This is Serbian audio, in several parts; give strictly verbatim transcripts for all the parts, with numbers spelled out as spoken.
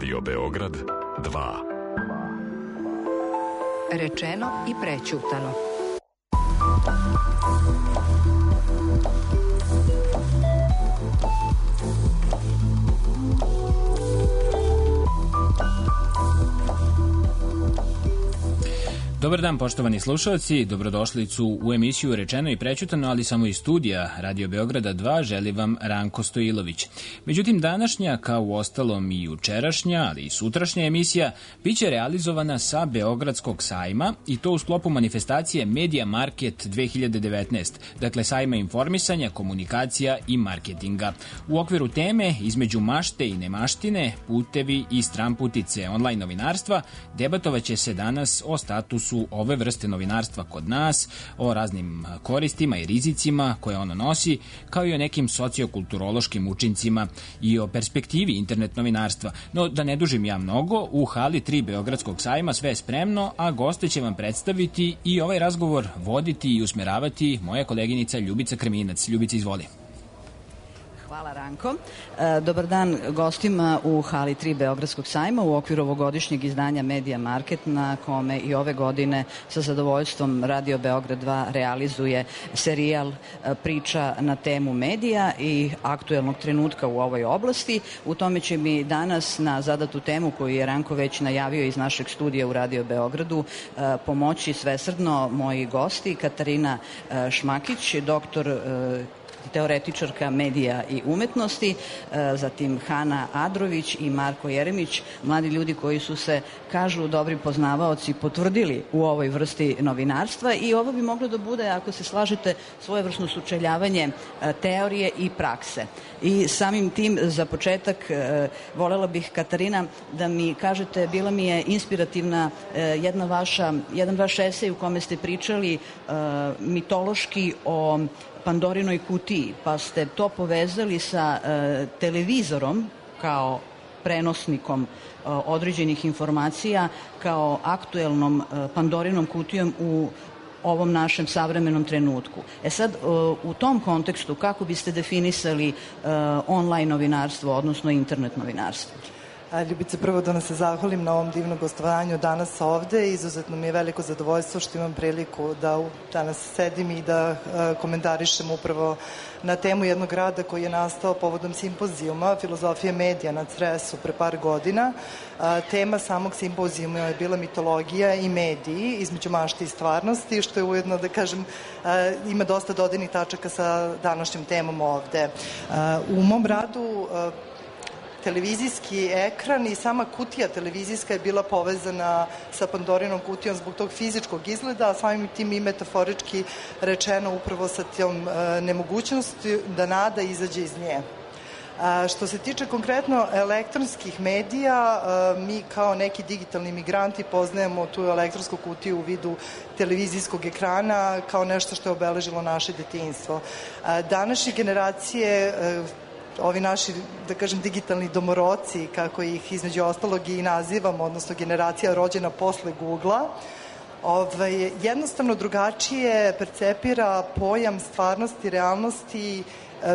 Radio Beograd dva. Rečeno i prećutano. Dobar dan, poštovani slušalci, dobrodošlicu u emisiju Rečeno i prećutano, ali samo iz studija Radio Beograda dva želi vam Ranko Stojilović. Međutim, današnja, kao u ostalom i jučerašnja, ali i sutrašnja emisija, biće realizovana sa Beogradskog sajma i to u sklopu manifestacije Media Market dve hiljade devetnaest, dakle sajma informisanja, komunikacija i marketinga. U okviru teme između mašte i nemaštine, putevi i stranputice online novinarstva, debatovaće se danas o statusu ove vrste novinarstva kod nas, o raznim koristima i rizicima koje ono nosi, kao i o nekim sociokulturološkim učincima i o perspektivi internet novinarstva. No, da ne dužim ja mnogo, u hali tri Beogradskog sajma sve je spremno, a goste će vam predstaviti i ovaj razgovor voditi i usmeravati moja koleginica Ljubica Kreminac. Ljubica, izvoli. Hvala, Ranko. Dobar dan gostima u hali tri Beogradskog sajma u okviru ovogodišnjeg izdanja Media Market, na kome i ove godine sa zadovoljstvom Radio Beograd dva realizuje serijal priča na temu medija i aktuelnog trenutka u ovoj oblasti. U tome će mi danas na zadatu temu koju je Ranko već najavio iz našeg studija u Radio Beogradu pomoći svesrdno moji gosti Katarina Šmakić, doktor teoretičarka medija i umetnosti, zatim Hana Adrović i Marko Jeremić, mladi ljudi koji su se, kažu dobri poznavaoci, potvrdili u ovoj vrsti novinarstva i ovo bi moglo da bude, ako se slažete, svojevrsno sučeljavanje teorije i prakse. I samim tim, za početak, volela bih, Katarina, da mi kažete, bila mi je inspirativna jedna vaša, jedan vaš esej u kome ste pričali mitološki o Pandorinoj kutiji, pa ste to povezali sa e, televizorom kao prenosnikom e, određenih informacija, kao aktuelnom e, Pandorinom kutijom u ovom našem savremenom trenutku. E sad, e, u tom kontekstu, kako biste definisali e, online novinarstvo, odnosno internet novinarstvo? Ljubice, prvo da nam se zahvalim na ovom divnom gostovanju danas ovde. Izuzetno mi je veliko zadovoljstvo što imam priliku da danas sedim i da komentarišem upravo na temu jednog rada koji je nastao povodom simpozijuma Filozofije medija na Cresu pre par godina. Tema samog simpozijuma je bila mitologija i mediji između mašte i stvarnosti, što je ujedno, da kažem, ima dosta dodirnih tačaka sa današnjom temom ovde. U mom radu televizijski ekran i sama kutija televizijska je bila povezana sa Pandorinom kutijom zbog tog fizičkog izgleda, a samim tim i metaforički rečeno upravo sa tom e, nemogućnosti da nada izađe iz nje. A, što se tiče konkretno elektronskih medija, a, mi kao neki digitalni migranti poznajemo tu elektronsku kutiju u vidu televizijskog ekrana kao nešto što je obeležilo naše detinjstvo. A, današnje generacije a, ovi naši, da kažem, digitalni domoroci, kako ih između ostalog i nazivamo, odnosno generacija rođena posle Google-a, ovaj, jednostavno drugačije percepira pojam stvarnosti, realnosti,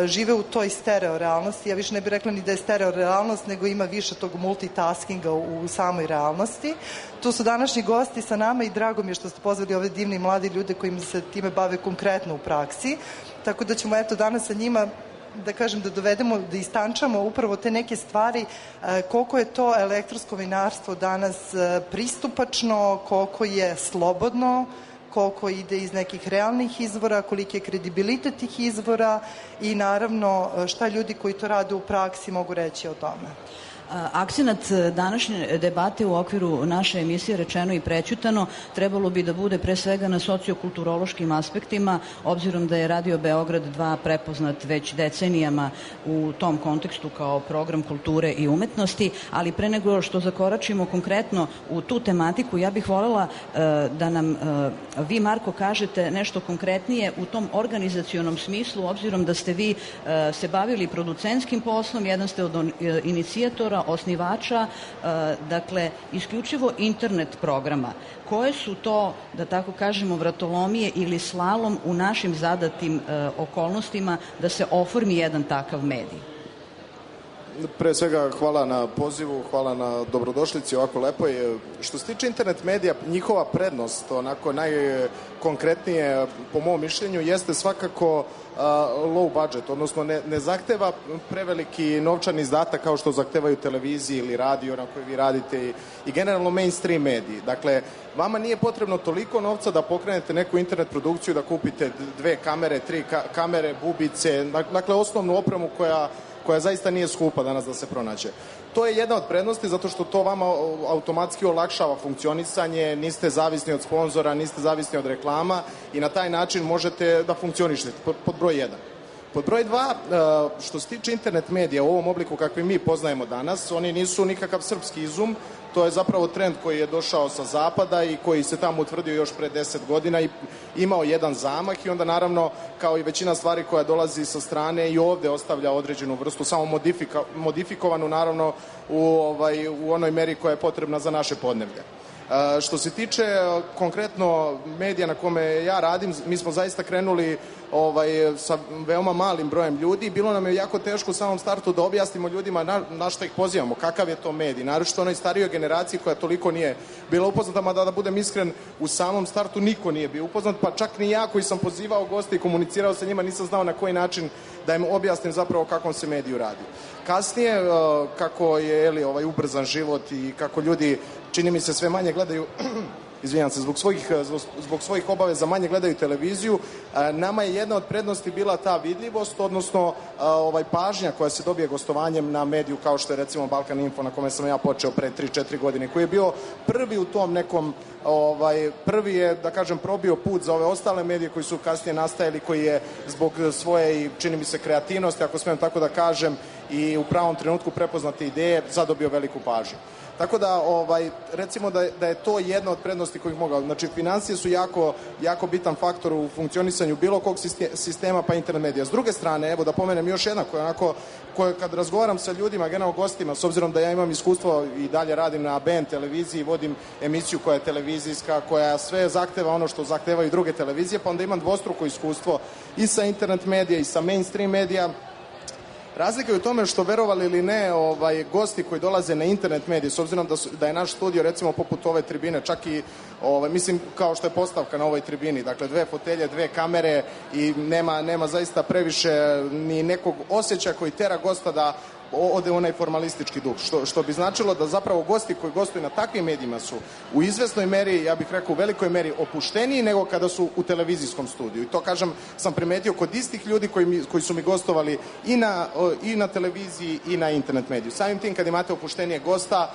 žive u toj stereo realnosti. Ja više ne bih rekla ni da je stereo realnost, nego ima više tog multitaskinga u, u samoj realnosti. Tu su današnji gosti sa nama i drago mi je što ste pozvali ove divni mladi ljude kojim se time bave konkretno u praksi. Tako da ćemo eto danas sa njima da kažem, da dovedemo, da istančamo upravo te neke stvari, koliko je to elektronsko novinarstvo danas pristupačno, koliko je slobodno, koliko ide iz nekih realnih izvora, koliki je kredibilitet tih izvora i naravno šta ljudi koji to rade u praksi mogu reći o tome. Akcenat današnje debate u okviru naše emisije Rečeno i prećutano trebalo bi da bude pre svega na sociokulturološkim aspektima, obzirom da je Radio Beograd dva prepoznat već decenijama u tom kontekstu kao program kulture i umetnosti, ali pre nego što zakoračimo konkretno u tu tematiku, ja bih voljela da nam vi, Marko, kažete nešto konkretnije u tom organizacionom smislu, obzirom da ste vi se bavili producentskim poslom, jedan ste od inicijatora, osnivača, dakle, isključivo internet programa. Koje su to, da tako kažemo, vratolomije ili slalom u našim zadatim okolnostima da se oformi jedan takav medij? pre svega hvala na pozivu, hvala na dobrodošlici, ovako lepo je. Što se tiče internet medija, njihova prednost, onako najkonkretnije po mom mišljenju, jeste svakako uh, low budget, odnosno ne, ne zahteva preveliki novčani izdatak kao što zahtevaju televiziji ili radio na kojoj vi radite i, i generalno mainstream mediji. Dakle, vama nije potrebno toliko novca da pokrenete neku internet produkciju, da kupite dve kamere, tri ka kamere, bubice, dakle osnovnu opremu koja koja zaista nije skupa danas da se pronađe. To je jedna od prednosti zato što to vama automatski olakšava funkcionisanje, niste zavisni od sponzora, niste zavisni od reklama i na taj način možete da funkcionišete, pod broj jedan. Pod broj dva, što se tiče internet medija u ovom obliku kakvi mi poznajemo danas, oni nisu nikakav srpski izum, to je zapravo trend koji je došao sa zapada i koji se tamo utvrdio još pre deset godina i imao jedan zamah i onda naravno kao i većina stvari koja dolazi sa strane i ovde ostavlja određenu vrstu, samo modifika, modifikovanu naravno u, ovaj, u onoj meri koja je potrebna za naše podneblje. Uh, što se tiče uh, konkretno medija na kome ja radim, mi smo zaista krenuli ovaj, sa veoma malim brojem ljudi. Bilo nam je jako teško u samom startu da objasnimo ljudima na, na što ih pozivamo, kakav je to medij. Naročito onoj starijoj generaciji koja toliko nije bila upoznata, mada da budem iskren, u samom startu niko nije bio upoznat, pa čak ni ja koji sam pozivao goste i komunicirao sa njima nisam znao na koji način da im objasnim zapravo kakvom se mediju radi. Kasnije, uh, kako je eli, ovaj ubrzan život i kako ljudi, čini mi se, sve manje gledaju izvinjam se, zbog svojih, zbog, zbog svojih obaveza manje gledaju televiziju, nama je jedna od prednosti bila ta vidljivost, odnosno ovaj pažnja koja se dobije gostovanjem na mediju kao što je recimo Balkan Info na kome sam ja počeo pre tri četiri godine, koji je bio prvi u tom nekom, ovaj, prvi je, da kažem, probio put za ove ostale medije koji su kasnije nastajali, koji je zbog svoje, čini mi se, kreativnosti, ako smijem tako da kažem, i u pravom trenutku prepoznate ideje, zadobio veliku pažnju. Tako da, ovaj, recimo da je, da je to jedna od prednosti kojih mogao. Znači, financije su jako, jako bitan faktor u funkcionisanju bilo kog sistema pa internet medija. S druge strane, evo da pomenem još jedna koja onako, koja kad razgovaram sa ljudima, generalno gostima, s obzirom da ja imam iskustvo i dalje radim na B N televiziji, vodim emisiju koja je televizijska, koja sve zahteva ono što zahtevaju druge televizije, pa onda imam dvostruko iskustvo i sa internet medija i sa mainstream medija. Razlika je u tome što, verovali ili ne, ovaj, gosti koji dolaze na internet medije, s obzirom da, su, da je naš studio recimo poput ove tribine, čak i ovaj, mislim kao što je postavka na ovoj tribini, dakle dve fotelje, dve kamere i nema, nema zaista previše ni nekog osjećaja koji tera gosta da ode onaj formalistički duh, što, što bi značilo da zapravo gosti koji gostuju na takvim medijima su u izvesnoj meri, ja bih rekao u velikoj meri, opušteniji nego kada su u televizijskom studiju. I to, kažem, sam primetio kod istih ljudi koji, mi, koji su mi gostovali i na, i na televiziji i na internet mediju. Samim tim, kad imate opuštenije gosta,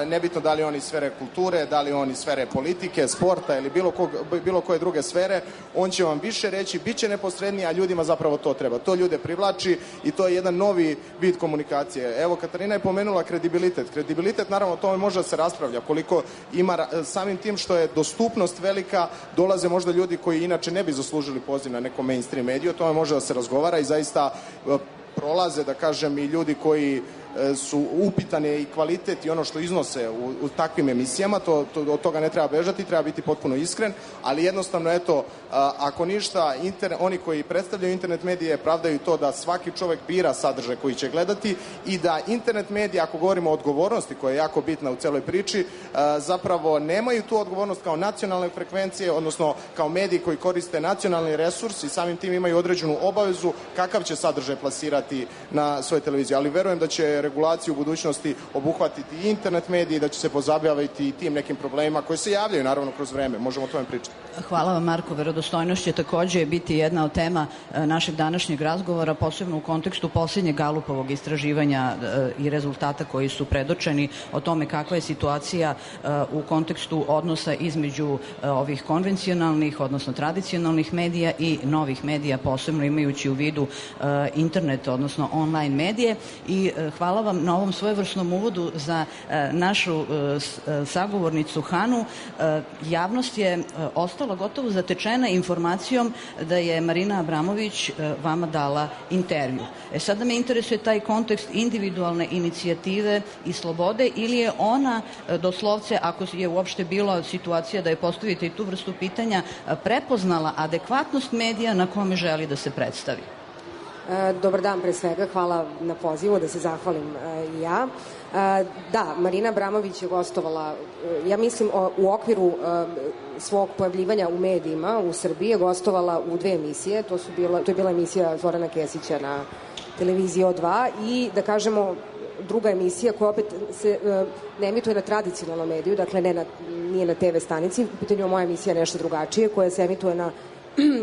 nebitno da li oni iz sfere kulture, da li oni iz sfere politike, sporta ili bilo, kog, bilo koje druge sfere, on će vam više reći, bit će neposredniji, a ljudima zapravo to treba. To ljude privlači i to je jedan novi vid komunikacije. Evo, Katarina je pomenula kredibilitet. Kredibilitet, naravno, o tome može da se raspravlja. Koliko ima, samim tim što je dostupnost velika, dolaze možda ljudi koji inače ne bi zaslužili poziv na nekom mainstream mediju, o tome može da se razgovara i zaista prolaze, da kažem, i ljudi koji su upitane i kvalitet i ono što iznose u, u takvim emisijama, to, to, od toga ne treba bežati, treba biti potpuno iskren, ali jednostavno, eto, a, ako ništa, internet, oni koji predstavljaju internet medije pravdaju to da svaki čovek bira sadržaj koji će gledati i da internet medije, ako govorimo o odgovornosti koja je jako bitna u celoj priči, a, zapravo nemaju tu odgovornost kao nacionalne frekvencije, odnosno kao mediji koji koriste nacionalni resurs i samim tim imaju određenu obavezu kakav će sadržaj plasirati na svoje televizije, ali verujem da će regulaciju u budućnosti obuhvatiti i internet mediji, da će se pozabaviti i tim nekim problemima koji se javljaju naravno kroz vreme. Možemo o tome pričati. Hvala vam, Marko. Verodostojnost će takođe biti jedna od tema našeg današnjeg razgovora, posebno u kontekstu posljednjeg Galupovog istraživanja i rezultata koji su predočeni o tome kakva je situacija u kontekstu odnosa između ovih konvencionalnih, odnosno tradicionalnih medija i novih medija, posebno imajući u vidu internet, odnosno online medije. I hvala vam na ovom svojevrsnom uvodu za našu sagovornicu Hanu. Javnost je ostala gotovo zatečena informacijom da je Marina Abramović vama dala intervju. E sada me interesuje taj kontekst individualne inicijative i slobode, ili je ona doslovce, ako je uopšte bila situacija da je postavite i tu vrstu pitanja, prepoznala adekvatnost medija na kome želi da se predstavi? Dobar dan pre svega, hvala na pozivu da se zahvalim i ja. Da, Marina Abramović je gostovala, ja mislim u okviru svog pojavljivanja u medijima u Srbiji je gostovala u dve emisije, to, su bila, to je bila emisija Zorana Kesića na televiziji O dva i da kažemo druga emisija koja opet se ne emituje na tradicionalnom mediju, dakle ne na, nije na te ve stanici, u pitanju je moja emisija nešto drugačije koja se emituje na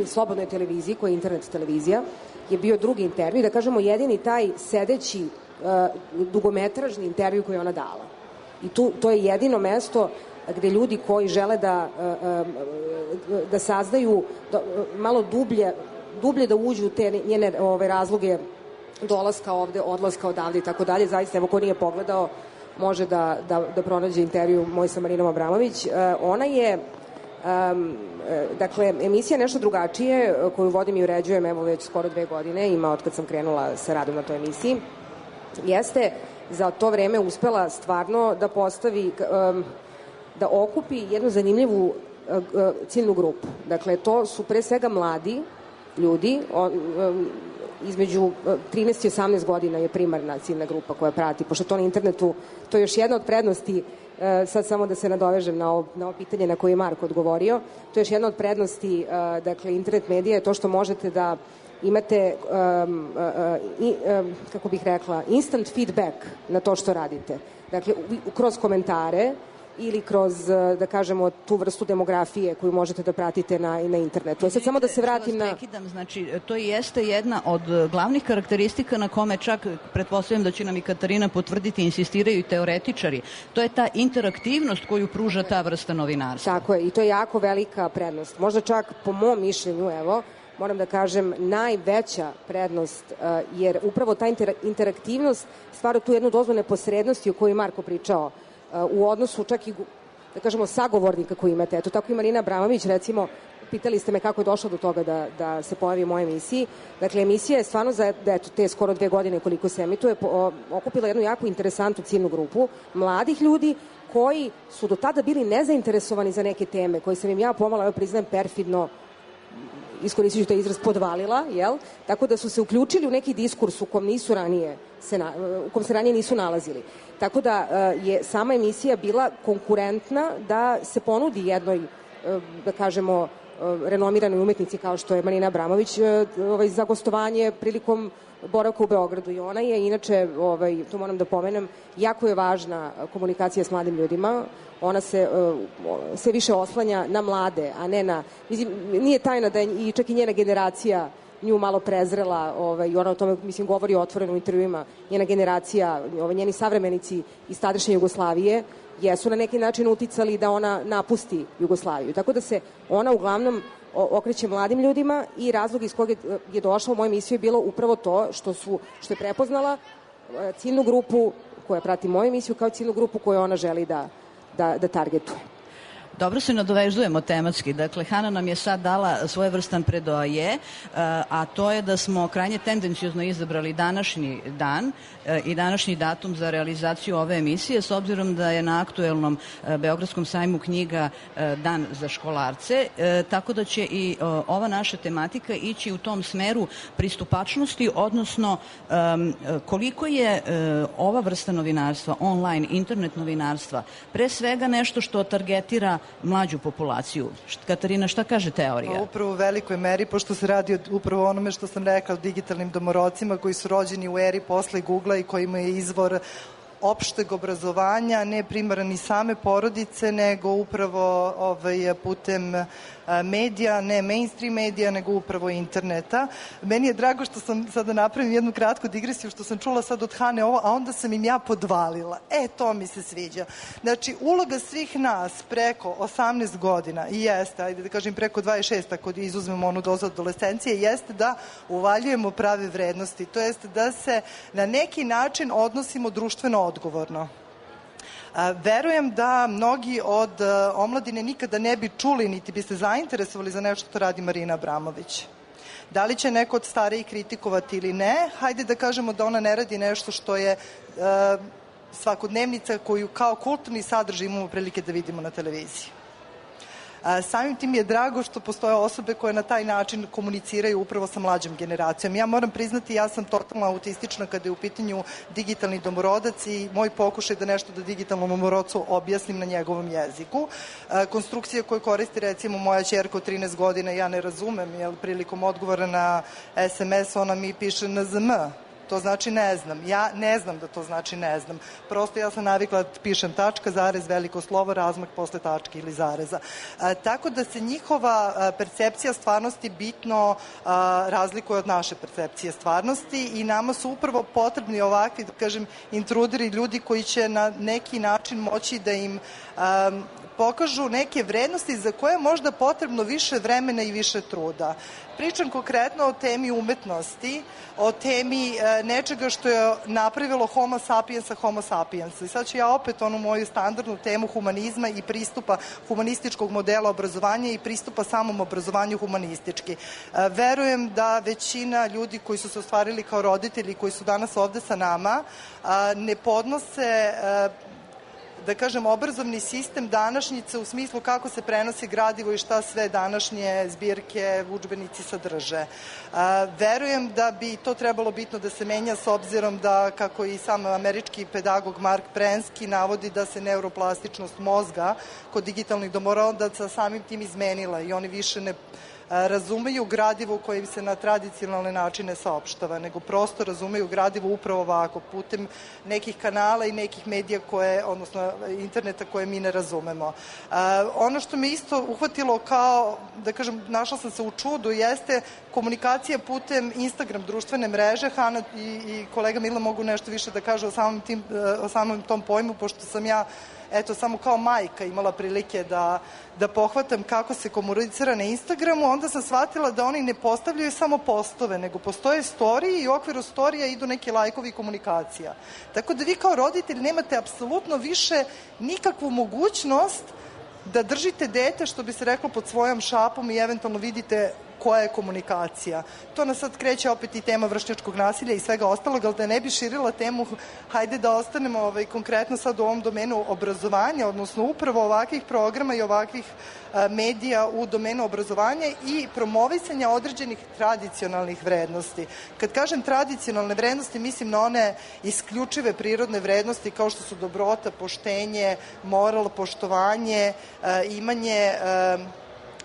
slobodnoj televiziji, koja je internet televizija, je bio drugi intervju, da kažemo jedini taj sedeći uh, dugometražni intervju koji je ona dala. I tu, to je jedino mesto gde ljudi koji žele da, uh, da saznaju da, malo dublje, dublje da uđu u te njene ove, razloge dolaska ovde, odlaska odavde i tako dalje. Zaista, evo ko nije pogledao, može da, da, da pronađe intervju moj sa Marinom Abramović. Uh, ona je Um, dakle, emisija nešto drugačije koju vodim i uređujem evo već skoro dve godine, ima od kad sam krenula sa radom na toj emisiji, jeste za to vreme uspela stvarno da postavi, um, da okupi jednu zanimljivu uh, ciljnu grupu. Dakle, to su pre svega mladi ljudi, on, um, između trinaest i osamnaest godina je primarna ciljna grupa koja prati, pošto to na internetu, to je još jedna od prednosti. Sad samo da se nadovežem na ovo, na ovo pitanje na koje je Marko odgovorio. To je još jedna od prednosti, dakle, internet medija je to što možete da imate, um, uh, i, um, kako bih rekla, instant feedback na to što radite. Dakle, kroz komentare ili kroz, da kažemo, tu vrstu demografije koju možete da pratite na, na internetu. Sad samo da se vratim na... Prekidam, znači, to jeste jedna od glavnih karakteristika na kome čak, pretpostavljam da će nam i Katarina potvrditi, insistiraju i teoretičari. To je ta interaktivnost koju pruža ta vrsta novinarstva. Tako je, i to je jako velika prednost. Možda čak, po mom mišljenju, evo, moram da kažem, najveća prednost, uh, jer upravo ta inter interaktivnost stvara tu jednu dozu neposrednosti o kojoj je Marko pričao, u odnosu čak i, da kažemo, sagovornika koji imate. Eto, tako i Marina Abramović, recimo, pitali ste me kako je došlo do toga da, da se pojavi u mojoj emisiji. Dakle, emisija je stvarno za eto, te skoro dve godine koliko se emituje, po, okupila jednu jako interesantnu ciljnu grupu mladih ljudi koji su do tada bili nezainteresovani za neke teme, koje sam im ja pomalo, evo priznajem, perfidno, iskoristit ću taj izraz, podvalila, jel? Tako da su se uključili u neki diskurs u kom nisu ranije se na, u kom se ranije nisu nalazili. Tako da je sama emisija bila konkurentna da se ponudi jednoj, da kažemo, renomiranoj umetnici kao što je Marina Abramović ovaj, za gostovanje prilikom boravka u Beogradu. I ona je, inače, ovaj, to moram da pomenem, jako je važna komunikacija s mladim ljudima. Ona se uh, sve više oslanja na mlade, a ne na... Mislim, nije tajna da je i čak i njena generacija nju malo prezrela, ovaj, i ona o tome, mislim, govori otvoreno u intervjuima. Njena generacija, ovaj, njeni savremenici iz tadašnje Jugoslavije jesu na neki način uticali da ona napusti Jugoslaviju. Tako da se ona uglavnom okreće mladim ljudima i razlog iz kojeg je došla u moju emisiju je bilo upravo to što, su, što je prepoznala ciljnu grupu koja prati moju emisiju kao ciljnu grupu koju ona želi da, da, da targetuje. Dobro se nadovezujemo tematski. Dakle, Hana nam je sad dala svojevrstan predoaje, a to je da smo krajnje tendencijozno izabrali današnji dan i današnji datum za realizaciju ove emisije, s obzirom da je na aktuelnom Beogradskom sajmu knjiga Dan za školarce, tako da će i ova naša tematika ići u tom smeru pristupačnosti, odnosno koliko je ova vrsta novinarstva, online, internet novinarstva, pre svega nešto što targetira mlađu populaciju. Katarina, šta kaže teorija? Upravo u velikoj meri, pošto se radi upravo onome što sam rekla, digitalnim domorodcima koji su rođeni u eri posle Google-a i kojima je izvor opšteg obrazovanja, ne primaran ni same porodice, nego upravo ovaj, putem medija, ne mainstream medija, nego upravo interneta. Meni je drago što sam sada napravim jednu kratku digresiju, što sam čula sad od Hane ovo, a onda sam im ja podvalila. E, to mi se sviđa. Znači, uloga svih nas preko osamnaest godina i jeste, ajde da kažem preko dvadeset šest, ako izuzmemo onu dozu adolescencije, jeste da uvaljujemo prave vrednosti. To jeste da se na neki način odnosimo društveno odgovorno. Verujem da mnogi od omladine nikada ne bi čuli, niti bi se zainteresovali za nešto što radi Marina Abramović. Da li će neko od starijih kritikovati ili ne, hajde da kažemo da ona ne radi nešto što je uh, svakodnevnica koju kao kulturni sadržaj imamo prilike da vidimo na televiziji. Samim tim je drago što postoje osobe koje na taj način komuniciraju upravo sa mlađom generacijom. Ja moram priznati, ja sam totalno autistična kada je u pitanju digitalni domorodac i moj pokušaj da nešto da digitalnom domorodcu objasnim na njegovom jeziku. Konstrukcije koje koristi recimo moja ćerka od trinaest godina ja ne razumem, jer prilikom odgovora na es em es ona mi piše en ze em. To znači ne znam. Ja ne znam da to znači ne znam. Prosto ja sam navikla da pišem tačka, zarez, veliko slovo, razmak posle tačke ili zareza. A, tako da se njihova a, percepcija stvarnosti bitno a, razlikuje od naše percepcije stvarnosti i nama su upravo potrebni ovakvi, da kažem, intruderi, ljudi koji će na neki način moći da im a, pokažu neke vrednosti za koje je možda potrebno više vremena i više truda. Pričam konkretno o temi umetnosti, o temi e, nečega što je napravilo homo sapiensa homo sapiensa. I sad ću ja opet onu moju standardnu temu humanizma i pristupa humanističkog modela obrazovanja i pristupa samom obrazovanju humanistički. E, verujem da većina ljudi koji su se ostvarili kao roditelji, koji su danas ovde sa nama, a, ne podnose a, da kažem, obrazovni sistem današnjice u smislu kako se prenosi gradivo i šta sve današnje zbirke, udžbenici sadrže. A, verujem da bi to trebalo bitno da se menja s obzirom da, kako i sam američki pedagog Mark Prensky navodi, da se neuroplastičnost mozga kod digitalnih domorodaca samim tim izmenila i oni više ne razumeju gradivo koje im se na tradicionalne načine saopštava, nego prosto razumeju gradivo upravo ovako, putem nekih kanala i nekih medija koje, odnosno interneta koje mi ne razumemo. Uh, ono što me isto uhvatilo kao, da kažem, našla sam se u čudu, jeste komunikacija putem Instagram društvene mreže. Hana i, i kolega Mila mogu nešto više da kažu o samom, tim, o samom tom pojmu, pošto sam ja eto, samo kao majka imala prilike da, da pohvatam kako se komunicira na Instagramu, onda sam shvatila da oni ne postavljaju samo postove, nego postoje storiji i u okviru storija idu neki lajkovi i komunikacija. Tako da vi kao roditelj nemate apsolutno više nikakvu mogućnost da držite dete, što bi se reklo, pod svojom šapom i eventualno vidite koja je komunikacija. To nas sad kreće opet i tema vršnjačkog nasilja i svega ostalog, ali da ne bi širila temu, hajde da ostanemo ovaj, konkretno sad u ovom domenu obrazovanja, odnosno upravo ovakvih programa i ovakvih a, medija u domenu obrazovanja i promovisanja određenih tradicionalnih vrednosti. Kad kažem tradicionalne vrednosti, mislim na one isključive prirodne vrednosti kao što su dobrota, poštenje, moral, poštovanje, a, imanje a,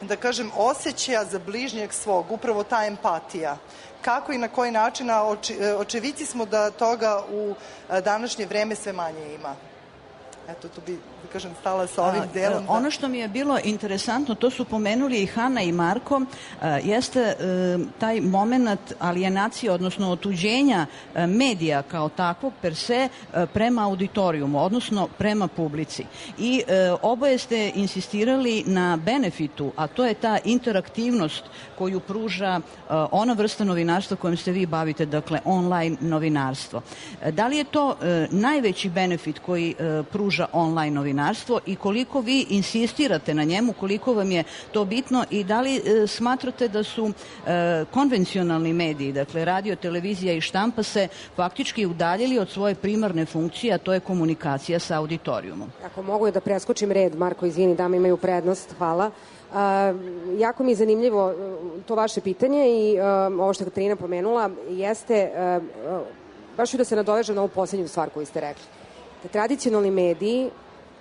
da kažem, osjećaja za bližnjeg svog, upravo ta empatija. Kako i na koji način, a oči, očevici smo da toga u današnje vreme sve manje ima. Eto, tu bi, da kažem, stala sa ovim delom. Da... Ono što mi je bilo interesantno, to su pomenuli i Hana i Marko, jeste taj moment alijenacije, odnosno otuđenja medija kao takvog per se prema auditorijumu, odnosno prema publici. I oboje ste insistirali na benefitu, a to je ta interaktivnost koju pruža ona vrsta novinarstva kojom se vi bavite, dakle online novinarstvo. Da li je to najveći benefit koji pruža online novinarstvo i koliko vi insistirate na njemu, koliko vam je to bitno i da li e, smatrate da su e, konvencionalni mediji, dakle radio, televizija i štampa se faktički udaljili od svoje primarne funkcije, a to je komunikacija sa auditorijumom? Ako mogu da preskočim red, Marko, izvini, dame imaju prednost, hvala. Uh, jako mi je zanimljivo to vaše pitanje i uh, ovo što je Katarina pomenula jeste, uh, uh, baš ću da se nadovežem na ovu poslednju stvar koju ste rekli. Da tradicionalni mediji,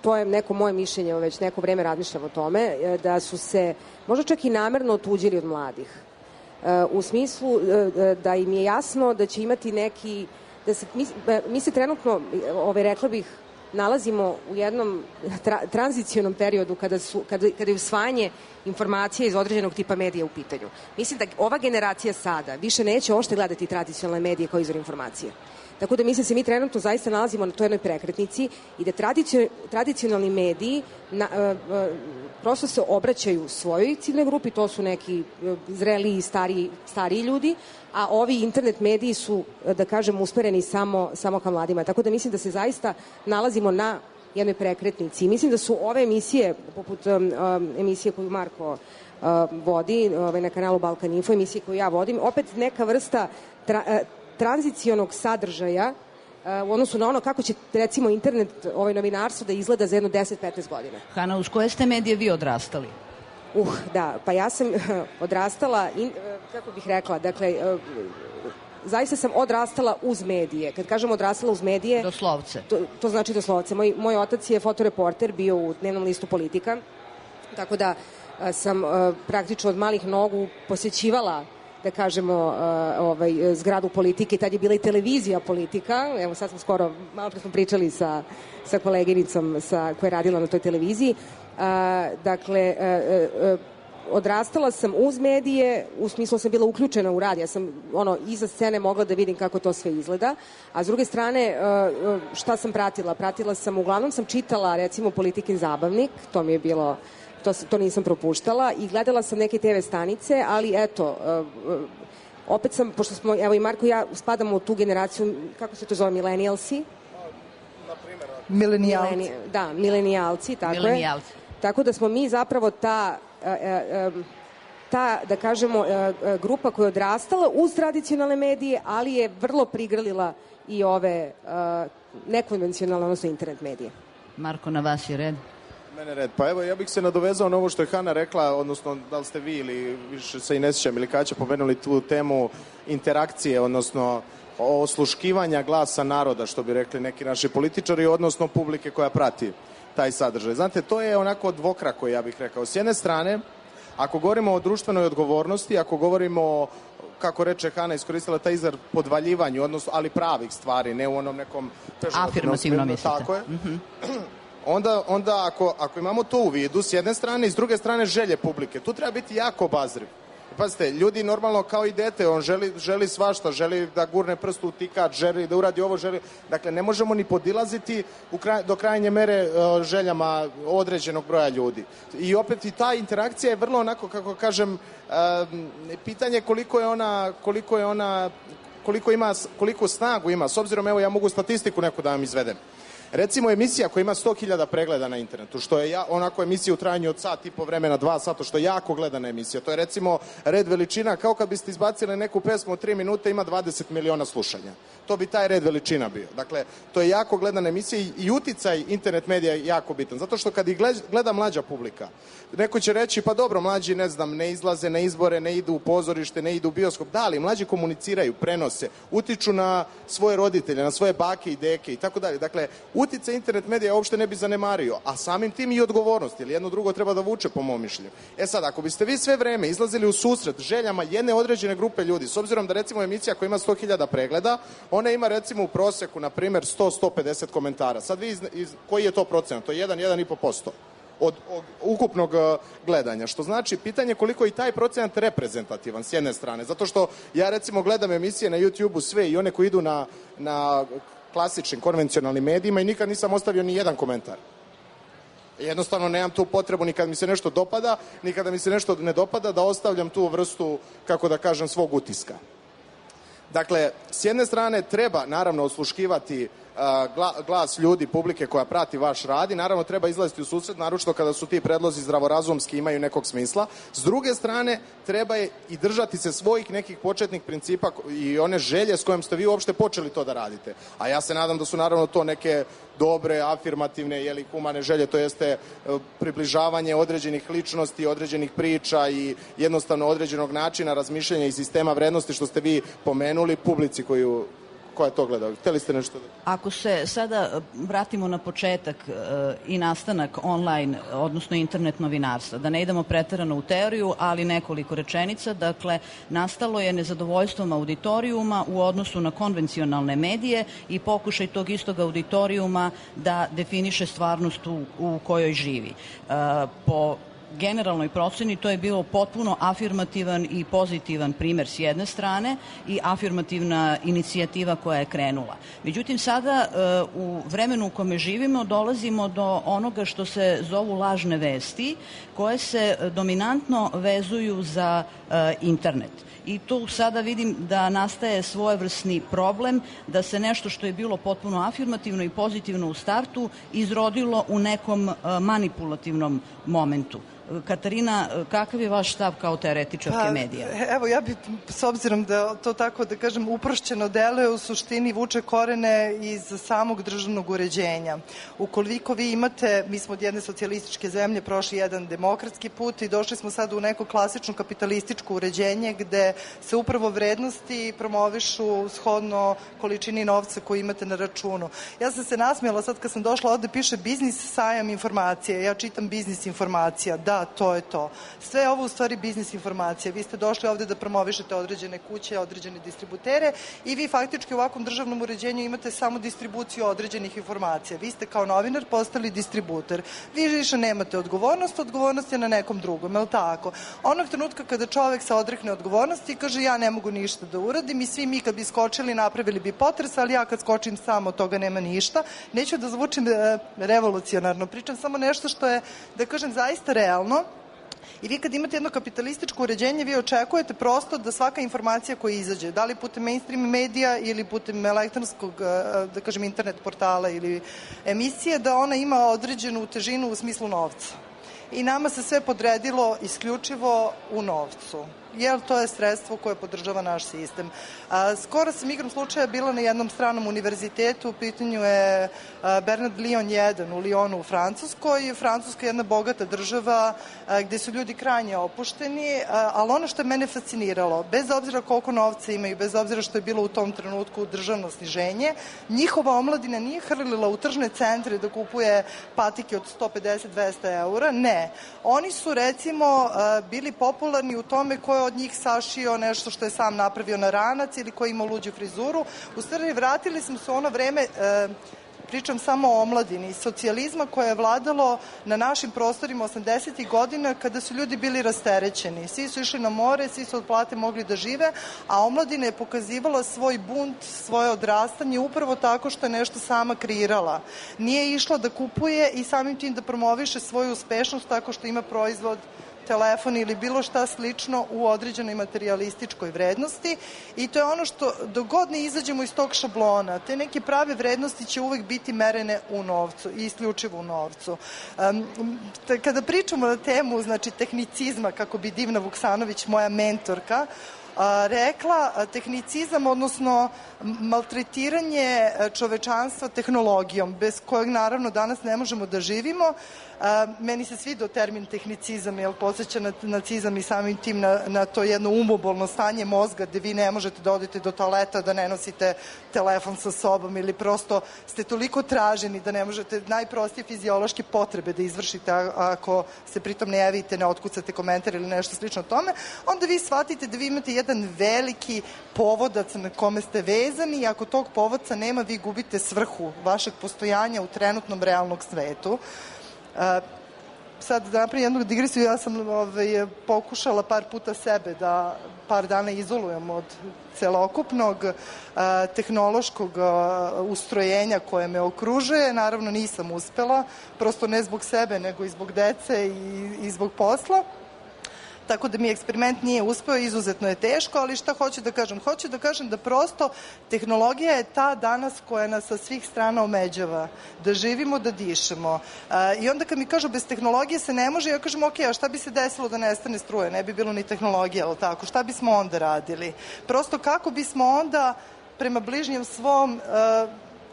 to je neko moje mišljenje, već neko vreme razmišljam o tome, da su se možda čak i namerno otuđili od mladih. U smislu da im je jasno da će imati neki, da se, mi, mi se trenutno, ovaj, rekla bih, nalazimo u jednom tra, tranzicionom periodu kada, su, kada, kada je usvajanje informacija iz određenog tipa medija u pitanju. Mislim da ova generacija sada više neće ošte gledati tradicionalne medije kao izvor informacije. Tako da mislim se mi trenutno zaista nalazimo na toj jednoj prekretnici i da tradicionalni mediji na, uh, uh, prosto se obraćaju svojoj ciljnoj grupi, to su neki uh, zreliji i stariji, stariji ljudi, a ovi internet mediji su, uh, da kažem, usmereni samo, samo ka mladima. Tako da mislim da se zaista nalazimo na jednoj prekretnici. I mislim da su ove emisije, poput um, um, emisije koju Marko uh, vodi uh, na kanalu Balkan Info, emisije koju ja vodim, opet neka vrsta tra, uh, tranzicionog sadržaja uh, u odnosu na ono kako će, recimo, internet, ovaj novinarstvo da izgleda za jedno deset do petnaest godina. Hana, uz koje ste medije vi odrastali? Uh, da, pa ja sam odrastala, in, kako bih rekla, dakle, zaista sam odrastala uz medije. Kad kažem odrastala uz medije... Doslovce. To, to znači doslovce. Moj, moj otac je fotoreporter, bio u dnevnom listu Politika, tako da a, sam a, praktično od malih nogu posjećivala, da kažemo, a, ovaj, zgradu Politike. Tad je bila i televizija Politika. Evo sad smo skoro, malo pre smo pričali sa, sa koleginicom sa, koja je radila na toj televiziji. A, dakle, a, a, odrastala sam uz medije, u smislu sam bila uključena u rad, ja sam ono, iza scene mogla da vidim kako to sve izgleda, a s druge strane šta sam pratila? Pratila sam, uglavnom sam čitala recimo Politikin zabavnik, to mi je bilo, to, to nisam propuštala, i gledala sam neke te ve stanice, ali eto, opet sam, pošto smo, evo i Marko i ja spadamo u tu generaciju, kako se to zove, milenijalsi? Milenijalci. Mileni, da, milenijalci, tako Milenijalci. je. Tako da smo mi zapravo ta, ta, da kažemo, grupa koja je odrastala uz tradicionalne medije, ali je vrlo prigrlila i ove nekonvencionalne, odnosno internet medije. Marko, na vas je red. Mene red. Pa evo, ja bih se nadovezao na ovo što je Hana rekla, odnosno da li ste vi ili više se i ne sjećam ili kada će pomenuli tu temu interakcije, odnosno osluškivanja glasa naroda, što bi rekli neki naši političari, odnosno publike koja prati taj sadržaj. Znate, to je onako dvokrako, ja bih rekao. S jedne strane, ako govorimo o društvenoj odgovornosti, ako govorimo, kako reče Hana, iskoristila taj izraz podvaljivanju, odnosno, ali pravih stvari, ne u onom nekom... Afirmativno mislite. Tako je. Mm-hmm. Onda, onda ako, ako imamo to u vidu, s jedne strane i s druge strane želje publike, tu treba biti jako obazriv. Pazite, ljudi normalno kao i dete, on želi, želi svašta, želi da gurne prst u tikač, želi da uradi ovo, želi... Dakle, ne možemo ni podilaziti u kraj, do krajnje mere uh, željama određenog broja ljudi. I opet i ta interakcija je vrlo onako, kako kažem, uh, pitanje koliko je ona, koliko je ona, koliko ima, koliko snagu ima. S obzirom, evo, ja mogu statistiku neku da vam izvedem. Recimo emisija koja ima sto hiljada pregleda na internetu, što je ja, onako emisija u trajanju od sat i po vremena, dva sata, što je jako gledana emisija. To je recimo red veličina, kao kad biste izbacili neku pesmu od tri minute, ima dvadeset miliona slušanja. To bi taj red veličina bio. Dakle, to je jako gledana emisija i, i uticaj internet medija je jako bitan. Zato što kad ih gleda mlađa publika, neko će reći, pa dobro, mlađi, ne znam, ne izlaze na izbore, ne idu u pozorište, ne idu u bioskop. Da, ali mlađi komuniciraju, prenose, utiču na svoje roditelje, na svoje bake i deke i tako dalje. Dakle, uticaj internet medija uopšte ne bi zanemario, a samim tim i odgovornost, jer jedno drugo treba da vuče, po mom mišljenju. E sad, ako biste vi sve vreme izlazili u susret željama jedne određene grupe ljudi, s obzirom da recimo emisija koja ima sto hiljada pregleda, ona ima recimo u proseku, na primjer, sto do sto pedeset komentara. Sad vi, iz, iz, koji je to procenat? To je jedan do jedan i po posto. Od, od ukupnog uh, gledanja, što znači pitanje koliko je i taj procenat reprezentativan s jedne strane, zato što ja recimo gledam emisije na YouTube-u sve i one koji idu na, na klasičnim, konvencionalnim medijima i nikad nisam ostavio ni jedan komentar. Jednostavno nemam tu potrebu ni kad mi se nešto dopada, ni kada mi se nešto ne dopada da ostavljam tu vrstu, kako da kažem, svog utiska. Dakle, s jedne strane treba naravno osluškivati uh, glas ljudi, publike koja prati vaš rad i naravno treba izlaziti u susret, naročito kada su ti predlozi zdravorazumski imaju nekog smisla. S druge strane, treba je i držati se svojih nekih početnih principa i one želje s kojom ste vi uopšte počeli to da radite. A ja se nadam da su naravno to neke dobre, afirmativne, jeli, humane želje, to jeste približavanje određenih ličnosti, određenih priča i jednostavno određenog načina razmišljanja i sistema vrednosti, što ste vi pomenuli publici koju, koja to gleda. Hteli ste nešto da... Ako se sada vratimo na početak e, i nastanak online, odnosno internet novinarstva, da ne idemo preterano u teoriju, ali nekoliko rečenica, dakle, nastalo je nezadovoljstvom auditorijuma u odnosu na konvencionalne medije i pokušaj tog istog auditorijuma da definiše stvarnost u, u kojoj živi. E, po generalnoj proceni to je bilo potpuno afirmativan i pozitivan primer s jedne strane i afirmativna inicijativa koja je krenula. Međutim, sada u vremenu u kome živimo dolazimo do onoga što se zovu lažne vesti, koje se dominantno vezuju za internet. I tu sada vidim da nastaje svojevrsni problem da se nešto što je bilo potpuno afirmativno i pozitivno u startu izrodilo u nekom manipulativnom momentu. Katarina, kakav je vaš stav kao teoretičarke pa, medija? Evo, ja bih, s obzirom da to tako, da kažem, uprošćeno deluje, u suštini vuče korene iz samog državnog uređenja. Ukoliko vi imate, mi smo od jedne socijalističke zemlje prošli jedan demokratski put i došli smo sad u neko klasično kapitalističko uređenje gde se upravo vrednosti promovišu shodno količini novca koju imate na računu. Ja sam se nasmijala sad kad sam došla ovde, piše biznis sajam informacije. Ja čitam biznis informacija. Da, to je to. Sve je ovo u stvari biznis informacija. Vi ste došli ovde da promovišete određene kuće, određene distributere i vi faktički u ovakvom državnom uređenju imate samo distribuciju određenih informacija. Vi ste kao novinar postali distributer. Vi više nemate odgovornost, odgovornost je na nekom drugom, je li tako? Onog trenutka kada čovek se odrekne odgovornosti i kaže ja ne mogu ništa da uradim i svi mi kad bi skočili napravili bi potres, ali ja kad skočim samo od toga nema ništa. Neću da zvučim revolucionarno, pričam samo nešto što je, da kažem, zaista realno. I vi kad imate jedno kapitalističko uređenje, vi očekujete prosto da svaka informacija koja izađe, da li putem mainstream medija ili putem elektronskog, da kažem, internet portala ili emisije, da ona ima određenu težinu u smislu novca. I nama se sve podredilo isključivo u novcu, jer to je sredstvo koje podržava naš sistem. A, skoro sam igrom slučaja bila na jednom stranom univerzitetu, u pitanju je a, Bernard Lion jedan u Lyonu u Francuskoj. Francuska je jedna bogata država a, gde su ljudi krajnje opušteni, a, ali ono što je mene fasciniralo, bez obzira koliko novca imaju, bez obzira što je bilo u tom trenutku državno sniženje, njihova omladina nije hrlila u tržne centre da kupuje patike od sto pedeset do dvesta eura, ne. Oni su recimo a, bili popularni u tome ko je od njih sašio nešto što je sam napravio na ranac ili ko je imao luđu frizuru. U stvari, vratili smo se u ono vreme, e, pričam samo o omladini, socijalizma koje je vladalo na našim prostorima osamdesetih godina kada su ljudi bili rasterećeni. Svi su išli na more, svi su od plate mogli da žive, a omladina je pokazivala svoj bunt, svoje odrastanje upravo tako što je nešto sama kreirala. Nije išla da kupuje i samim tim da promoviše svoju uspešnost tako što ima proizvod, telefon ili bilo šta slično u određenoj materijalističkoj vrednosti i to je ono što dok god ne izađemo iz tog šablona, te neke prave vrednosti će uvek biti merene u novcu i isključivo u novcu. Um, kada pričamo na temu, znači, tehnicizma, kako bi Divna Vuksanović, moja mentorka, a, rekla, tehnicizam, odnosno maltretiranje čovečanstva tehnologijom, bez kojeg naravno danas ne možemo da živimo. A, meni se svidao termin tehnicizam, jer podsjeća na nacizam i samim tim na, na to jedno umobolno stanje mozga gde vi ne možete da odete do toaleta, da ne nosite telefon sa sobom ili prosto ste toliko traženi da ne možete najprostije fiziološke potrebe da izvršite ako se pritom ne javite, ne otkucate komentar ili nešto slično tome, onda vi shvatite da vi imate jedan veliki povodac na kome ste vezani i ako tog povodca nema, vi gubite svrhu vašeg postojanja u trenutnom realnog svetu. Uh, sad da napravim jednu digresiju, ja sam ovaj, pokušala par puta sebe da par dana izolujem od celokupnog uh, tehnološkog uh, ustrojenja koje me okružuje. Naravno nisam uspela, prosto ne zbog sebe nego i zbog dece i, i zbog posla. Tako da mi eksperiment nije uspeo, izuzetno je teško, ali šta hoću da kažem? Hoću da kažem da prosto tehnologija je ta danas koja nas sa svih strana omeđava, da živimo, da dišemo. I onda kad mi kažu bez tehnologije se ne može, ja kažem ok, a šta bi se desilo da nestane struje? Ne bi bilo ni tehnologija, ali tako? Šta bismo onda radili? Prosto kako bismo onda prema bližnjem svom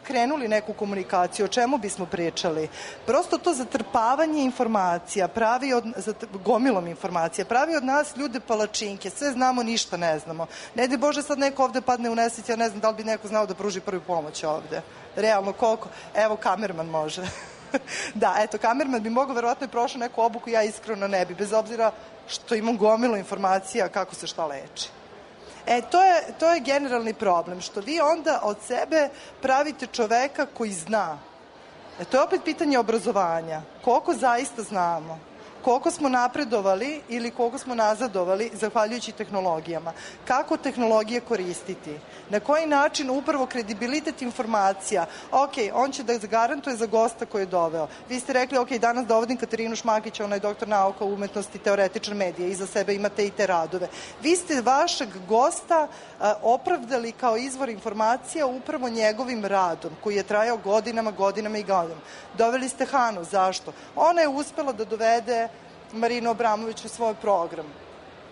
krenuli neku komunikaciju, o čemu bismo pričali. Prosto to zatrpavanje informacija, pravi od, gomilom informacija, pravi od nas ljude palačinke, sve znamo, ništa ne znamo. Ne daj Bože sad neko ovde padne u nesreću, ja ne znam da li bi neko znao da pruži prvu pomoć ovde. Realno koliko? Evo, kamerman može. Da, eto, kamerman bi mogao, verovatno je prošao neku obuku, ja iskreno ne bi, bez obzira što imam gomilu informacija kako se šta leči. E, to je, to je generalni problem, što vi onda od sebe pravite čoveka koji zna. E, to je opet pitanje obrazovanja. Koliko zaista znamo? Koliko smo napredovali ili koliko smo nazadovali zahvaljujući tehnologijama? Kako tehnologije koristiti? Na koji način upravo kredibilitet informacija? Ok, on će da garantuje za gosta koji je doveo. Vi ste rekli, ok, danas dovodim Katarinu Šmakića, ona je doktor nauka, umetnosti, teoretičar medija, iza sebe imate i te radove. Vi ste vašeg gosta a, opravdali kao izvor informacija upravo njegovim radom, koji je trajao godinama, godinama i godinama. Doveli ste Hanu, zašto? Ona je uspela da dovede Marinu Abramović u svoj program.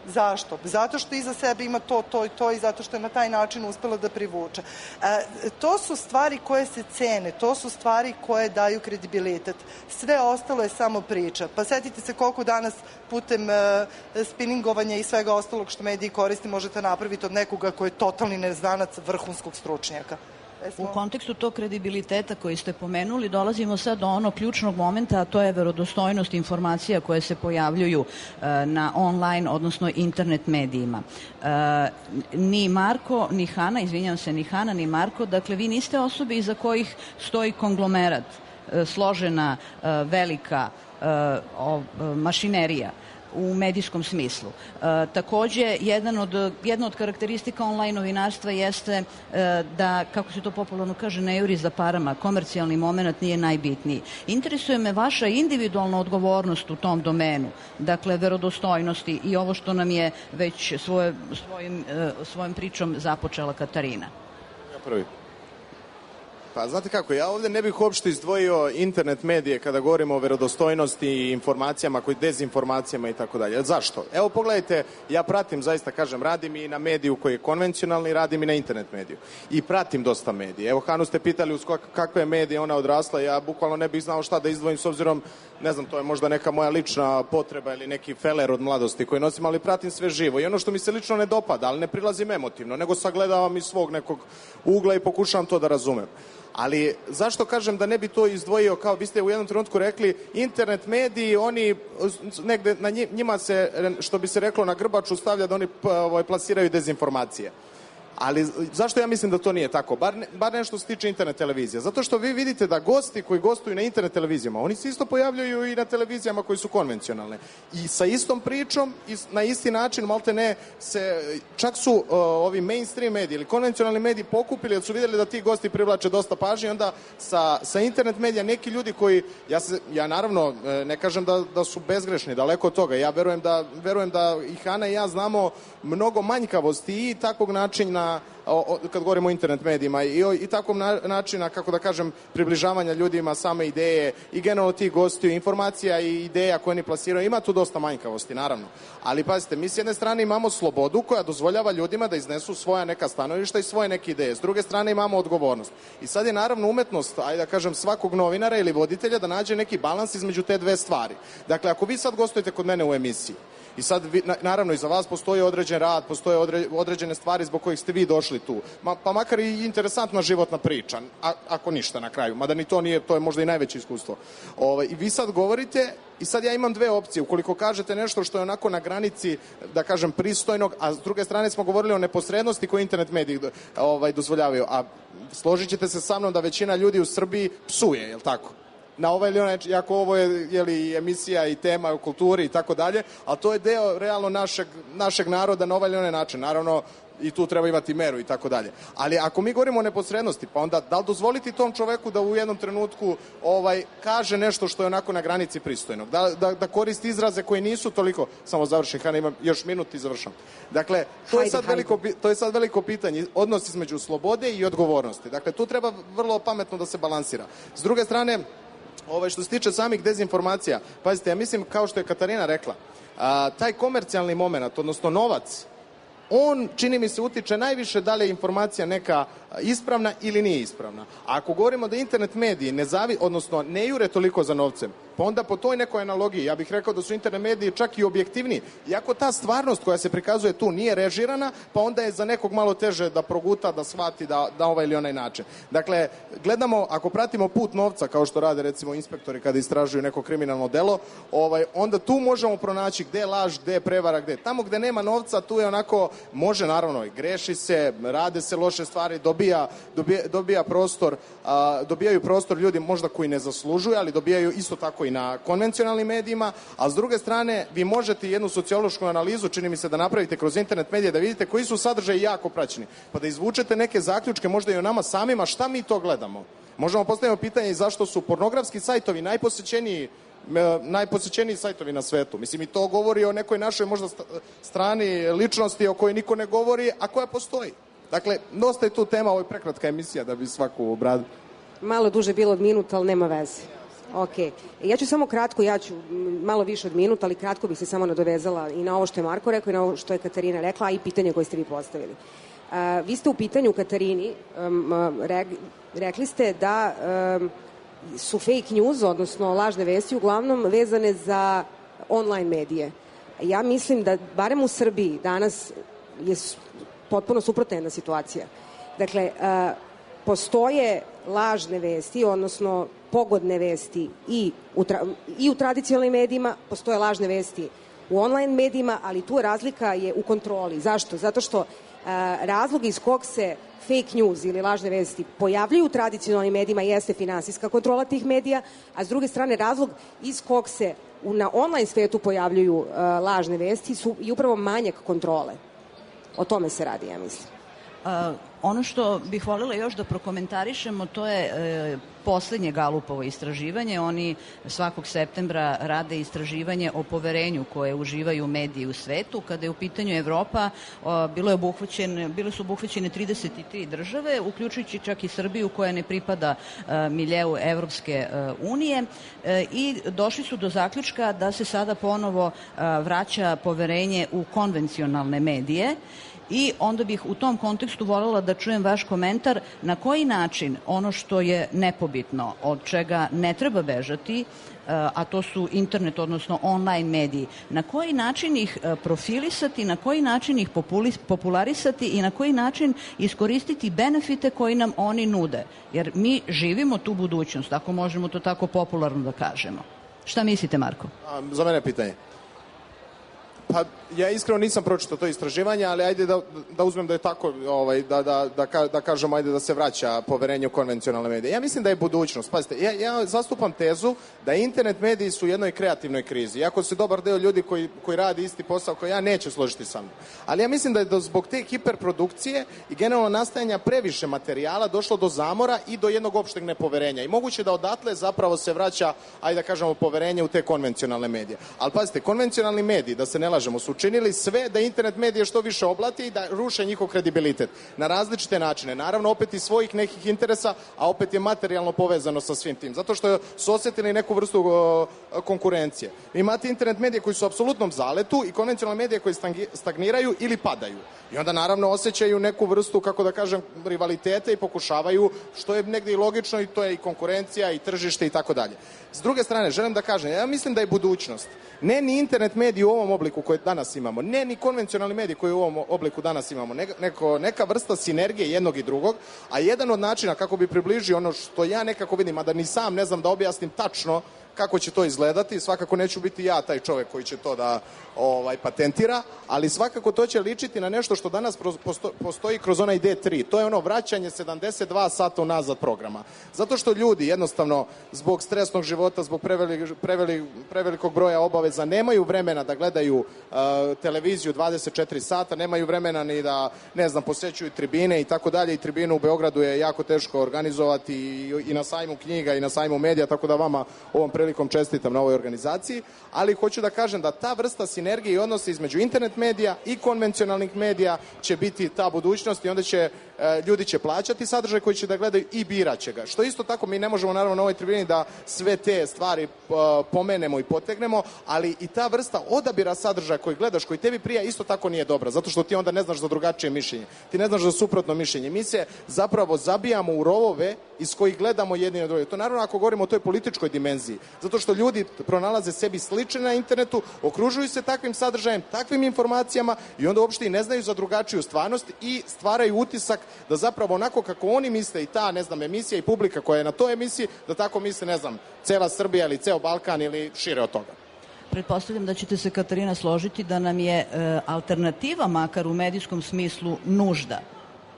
Zašto? Zato što iza sebe ima to, to i to i zato što je na taj način uspela da privuče. E, to su stvari koje se cene, to su stvari koje daju kredibilitet. Sve ostalo je samo priča. Pa setite se koliko danas putem e, spinningovanja i svega ostalog što mediji koriste možete napraviti od nekoga koji je totalni neznanac vrhunskog stručnjaka. U kontekstu tog kredibiliteta koji ste pomenuli, dolazimo sad do onog ključnog momenta, a to je verodostojnost informacija koje se pojavljuju e, na online, odnosno internet medijima. E, ni Marko, ni Hana, izvinjam se, ni Hana, ni Marko, dakle, vi niste osobe iza kojih stoji konglomerat, e, složena, e, velika e, o, e, mašinerija u medijskom smislu. E, takođe, jedan od, jedna od karakteristika online novinarstva jeste e, da, kako se to popularno kaže, ne juri za parama, komercijalni moment nije najbitniji. Interesuje me vaša individualna odgovornost u tom domenu, dakle, verodostojnosti i ovo što nam je već svoje, svojim, e, svojom pričom započela Katarina. Ja prvi. Pa znate kako, ja ovdje ne bih uopšte izdvojio internet medije kada govorimo o verodostojnosti i informacijama, koji dezinformacijama i tako dalje. Zašto? Evo pogledajte, ja pratim, zaista kažem, radim i na mediju koji je konvencionalni, radim i na internet mediju. I pratim dosta medije. Evo Hanu ste pitali uz kakve medije ona odrasla, ja bukvalno ne bih znao šta da izdvojim s obzirom, ne znam, to je možda neka moja lična potreba ili neki feler od mladosti koji nosim, ali pratim sve živo. I ono što mi se lično ne dopada, ali ne prilazim emotivno, nego sagledavam iz svog nekog ugla i pokušavam to da razumem. Ali zašto kažem da ne bi to izdvojio, kao vi ste u jednom trenutku rekli, internet mediji, oni negde na njima se, što bi se reklo, na grbaču stavlja da oni plasiraju dezinformacije. Ali zašto ja mislim da to nije tako? Bar, ne, bar nešto se tiče internet televizije. Zato što vi vidite da gosti koji gostuju na internet televizijama, oni se isto pojavljuju i na televizijama koji su konvencionalne. I sa istom pričom i na isti način, malte ne, se, čak su uh, ovi mainstream mediji ili konvencionalni mediji pokupili jer su vidjeli da ti gosti privlače dosta pažnje i onda sa, sa internet medija neki ljudi koji, ja, se, ja naravno ne kažem da, da su bezgrešni, daleko od toga. Ja verujem da, verujem da i Hana i ja znamo mnogo manjkavosti i takvog načina O, o, kad govorimo o internet medijima i, o, i takvom na, načina, kako da kažem, približavanja ljudima same ideje i generalno tih gostiju, informacija i ideja koje oni plasiraju, ima tu dosta manjkavosti, naravno. Ali pazite, mi s jedne strane imamo slobodu koja dozvoljava ljudima da iznesu svoja neka stanovišta i svoje neke ideje. S druge strane imamo odgovornost. I sad je naravno umetnost, ajde da kažem, svakog novinara ili voditelja da nađe neki balans između te dve stvari. Dakle, ako vi sad gostujete kod mene u emisiji, i sad, vi, naravno, iza vas postoji određen rad, postoje odre, određene stvari zbog kojih ste vi došli tu. Ma, pa makar i interesantna životna priča, a, ako ništa na kraju. Mada ni to nije, to je možda i najveće iskustvo. Ove, I vi sad govorite, i sad ja imam dve opcije. Ukoliko kažete nešto što je onako na granici, da kažem, pristojnog, a s druge strane smo govorili o neposrednosti koju internet mediji ovaj, dozvoljavaju. A složit ćete se sa mnom da većina ljudi u Srbiji psuje, je li tako? Na ovaj ili onaj, jako ovo je, je li, emisija i tema o kulturi i tako dalje, ali to je deo realno našeg, našeg naroda na ovaj ili onaj način. Naravno, i tu treba imati meru i tako dalje. Ali ako mi govorimo o neposrednosti, pa onda da li dozvoliti tom čoveku da u jednom trenutku ovaj kaže nešto što je onako na granici pristojnog? Da, da, da koristi izraze koji nisu toliko... Samo završim, Hana, imam još minut i završam. Dakle, to je, sad veliko, to je sad veliko pitanje, odnos između slobode i odgovornosti. Dakle, tu treba vrlo pametno da se balansira. S druge strane, ovaj, što se tiče samih dezinformacija, pazite, ja mislim, kao što je Katarina rekla, a, taj komercijalni moment, odnosno novac, on, čini mi se, utiče najviše da li je informacija neka ispravna ili nije ispravna. A ako govorimo da internet mediji ne zavi, odnosno ne jure toliko za novcem, pa onda po toj nekoj analogiji, ja bih rekao da su internet mediji čak i objektivniji. Iako ta stvarnost koja se prikazuje tu nije režirana, pa onda je za nekog malo teže da proguta, da shvati da, da ovaj ili onaj način. Dakle, gledamo, ako pratimo put novca, kao što rade recimo inspektori kada istražuju neko kriminalno delo, ovaj, onda tu možemo pronaći gde je laž, gde je prevara, gde. Tamo gde nema novca, tu je onako, može naravno, greši se, rade se loše stvari, dobija, dobija, dobija prostor, a, dobijaju prostor ljudi možda koji ne zaslužuju, ali dobijaju isto tako i na konvencionalnim medijima, a s druge strane vi možete jednu sociološku analizu, čini mi se, da napravite kroz internet medije, da vidite koji su sadržaji jako praćeni, pa da izvučete neke zaključke možda i o nama samima, šta mi to gledamo. Možemo postaviti pitanje i zašto su pornografski sajtovi najposećeniji najposećeniji sajtovi na svetu. Mislim, i to govori o nekoj našoj možda strani ličnosti o kojoj niko ne govori, a koja postoji. Dakle, dosta je tu tema, ovo je prekratka emisija da bi svaku obradio. Malo duže bilo od minuta, ali nema veze. Ok. Ja ću samo kratko, ja ću malo više od minuta, ali kratko bih se samo nadovezala i na ovo što je Marko rekao i na ovo što je Katarina rekla, a i pitanje koje ste vi postavili. Uh, vi ste u pitanju Katarini um, re, rekli ste da um, su fake news, odnosno lažne vesti, uglavnom vezane za online medije. Ja mislim da, barem u Srbiji, danas je potpuno suprotna jedna situacija. Dakle, uh, postoje lažne vesti, odnosno pogodne vesti i u, tra, i u tradicionalnim medijima, postoje lažne vesti u online medijima, ali tu razlika je u kontroli. Zašto? Zato što uh, razlog iz kog se fake news ili lažne vesti pojavljaju u tradicionalnim medijima jeste finansijska kontrola tih medija, a s druge strane razlog iz kog se u, na online svetu pojavljuju uh, lažne vesti su i upravo manjak kontrole. O tome se radi, ja mislim. Uh, ono što bih voljela još da prokomentarišemo, to je e, poslednje Galupovo istraživanje. Oni svakog septembra rade istraživanje o poverenju koje uživaju mediji u svetu. Kada je u pitanju Evropa, o, bilo je obuhvaćen, bile su obuhvaćene trideset tri države, uključujući čak i Srbiju koja ne pripada e, miljeu Evropske e, unije e, i došli su do zaključka da se sada ponovo e, vraća poverenje u konvencionalne medije. I onda bih u tom kontekstu voljela da čujem vaš komentar na koji način ono što je nepobitno, od čega ne treba bežati, a to su internet, odnosno online mediji, na koji način ih profilisati, na koji način ih popularisati i na koji način iskoristiti benefite koji nam oni nude. Jer mi živimo tu budućnost, ako možemo to tako popularno da kažemo. Šta mislite, Marko? A, za mene pitanje. Pa ja iskreno nisam pročitao to istraživanje, ali ajde da, da uzmem da je tako, ovaj, da, da, da, da kažemo ajde da se vraća poverenje u konvencionalne medije. Ja mislim da je budućnost. Pazite, ja, ja zastupam tezu da internet mediji su u jednoj kreativnoj krizi. Iako se dobar deo ljudi koji, koji radi isti posao koji ja neće složiti sa mnom. Ali ja mislim da je do, zbog te hiperprodukcije i generalno nastajanja previše materijala došlo do zamora i do jednog opšteg nepoverenja. I moguće da odatle zapravo se vraća, ajde da kažemo, poverenje u te konvencionalne medije. Ali pazite, konvencionalni mediji, da se ne lažemo, su učinili sve da internet medije što više oblati i da ruše njihov kredibilitet na različite načine. Naravno, opet iz svojih nekih interesa, a opet je materijalno povezano sa svim tim. Zato što su osjetili neku vrstu uh, konkurencije. Imate internet medije koji su u apsolutnom zaletu i konvencionalne medije koji stagniraju ili padaju. I onda naravno osjećaju neku vrstu, kako da kažem, rivalitete i pokušavaju, što je negdje i logično, i to je i konkurencija i tržište i tako dalje. S druge strane, želim da kažem, ja mislim da je budućnost ne ni internet mediji u ovom obliku koji danas imamo, ne ni konvencionalni mediji koji u ovom obliku danas imamo, neko, neka vrsta sinergije jednog i drugog, a jedan od načina kako bi približio ono što ja nekako vidim, a da ni sam ne znam da objasnim tačno kako će to izgledati, svakako neću biti ja taj čovek koji će to da ovaj, patentira, ali svakako to će ličiti na nešto što danas posto, postoji kroz onaj D tri. To je ono vraćanje sedamdeset dva sata unazad programa. Zato što ljudi jednostavno zbog stresnog života, zbog preveli, preveli, prevelikog broja obaveza nemaju vremena da gledaju uh, televiziju dvadeset četiri sata, nemaju vremena ni da, ne znam, posećuju tribine i tako dalje. I tribinu u Beogradu je jako teško organizovati i, i na sajmu knjiga i na sajmu medija, tako da vama ovom prilikom čestitam na ovoj organizaciji, ali hoću da kažem da ta vrsta sinergije i odnosa između internet medija i konvencionalnih medija će biti ta budućnost i onda će e, ljudi će plaćati sadržaj koji će da gledaju i biraće ga. Što isto tako mi ne možemo naravno na ovoj tribini da sve te stvari e, pomenemo i potegnemo, ali i ta vrsta odabira sadržaja koji gledaš, koji tebi prija, isto tako nije dobra, zato što ti onda ne znaš za drugačije mišljenje. Ti ne znaš za suprotno mišljenje. Mi se zapravo zabijamo u rovove iz kojih gledamo jedni na drugi. To naravno ako govorimo o toj političkoj dimenziji. Zato što ljudi pronalaze sebi slične na internetu, okružuju se takvim sadržajem, takvim informacijama i onda uopšte i ne znaju za drugačiju stvarnost i stvaraju utisak da zapravo onako kako oni misle i ta, ne znam, emisija i publika koja je na toj emisiji, da tako misle, ne znam, cela Srbija ili ceo Balkan ili šire od toga. Pretpostavljam da ćete se, Katarina, složiti da nam je e, alternativa, makar u medijskom smislu, nužda.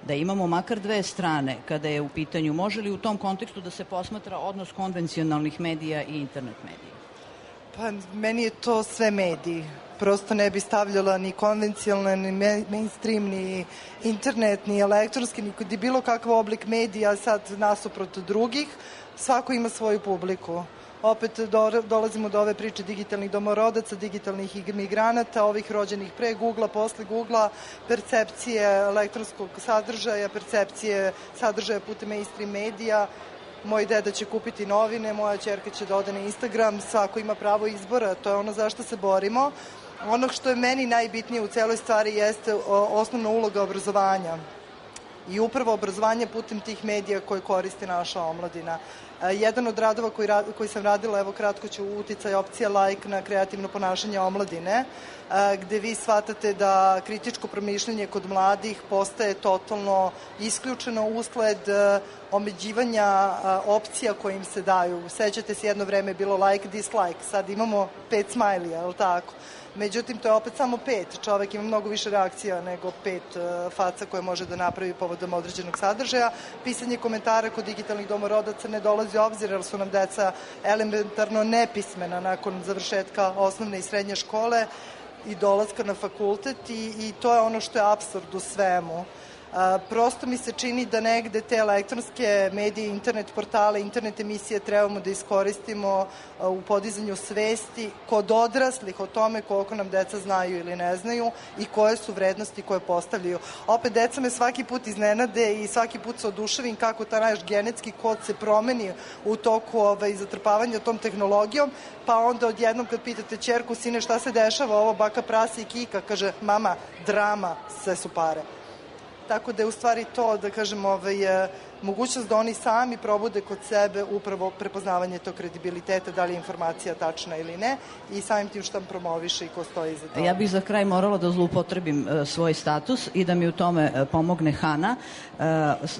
Da imamo makar dve strane kada je u pitanju. Može li u tom kontekstu da se posmatra odnos konvencionalnih medija i internet medija? Pa, meni je to sve mediji. Prosto ne bi stavljala ni konvencionalne, ni mainstream, ni internet, ni elektronski, ni bilo kakav oblik medija sad nasuprot drugih. Svako ima svoju publiku. Opet do, dolazimo do ove priče digitalnih domorodaca, digitalnih imigranata, ovih rođenih pre Googlea, posle Googlea, percepcije elektronskog sadržaja, percepcije sadržaja putem mainstream medija. moj deda će kupiti novine, moja ćerka će da ode na Instagram, svako ima pravo izbora, to je ono za što se borimo. Ono što je meni najbitnije u celoj stvari jeste osnovna uloga obrazovanja i upravo obrazovanje putem tih medija koje koristi naša omladina. Jedan od radova koji, koji sam radila, evo kratko ću, uticaj opcija like na kreativno ponašanje omladine, gde vi shvatate da kritičko promišljanje kod mladih postaje totalno isključeno usled omeđivanja opcija koje im se daju. Sećate se, jedno vreme je bilo like, dislike, sad imamo pet smajlija, je li tako? Međutim, to je opet samo pet. Čovek ima mnogo više reakcija nego pet uh, faca koje može da napravi povodom određenog sadržaja. Pisanje komentara kod digitalnih domorodaca ne dolazi u obzir, jer su nam deca elementarno nepismena nakon završetka osnovne i srednje škole i dolaska na fakultet i, i to je ono što je apsurd u svemu. A, prosto mi se čini da negde te elektronske medije, internet portale, internet emisije trebamo da iskoristimo a, u podizanju svesti kod odraslih o tome koliko nam deca znaju ili ne znaju i koje su vrednosti koje postavljaju. Opet, deca me svaki put iznenade i svaki put se oduševim kako ta naš genetski kod se promeni u toku ovaj, zatrpavanja tom tehnologijom, pa onda odjednom kad pitate ćerku, sine, šta se dešava, ovo baka prasi i kika, kaže, mama, drama, sve su pare. Tako da je u stvari to, da kažem, ovaj, mogućnost da oni sami probude kod sebe upravo prepoznavanje tog kredibiliteta, da li je informacija tačna ili ne, i samim tim što promoviše i ko stoji iza toga. Ja bih za kraj morala da zloupotrebim uh, svoj status i da mi u tome uh, pomogne Hana. Uh,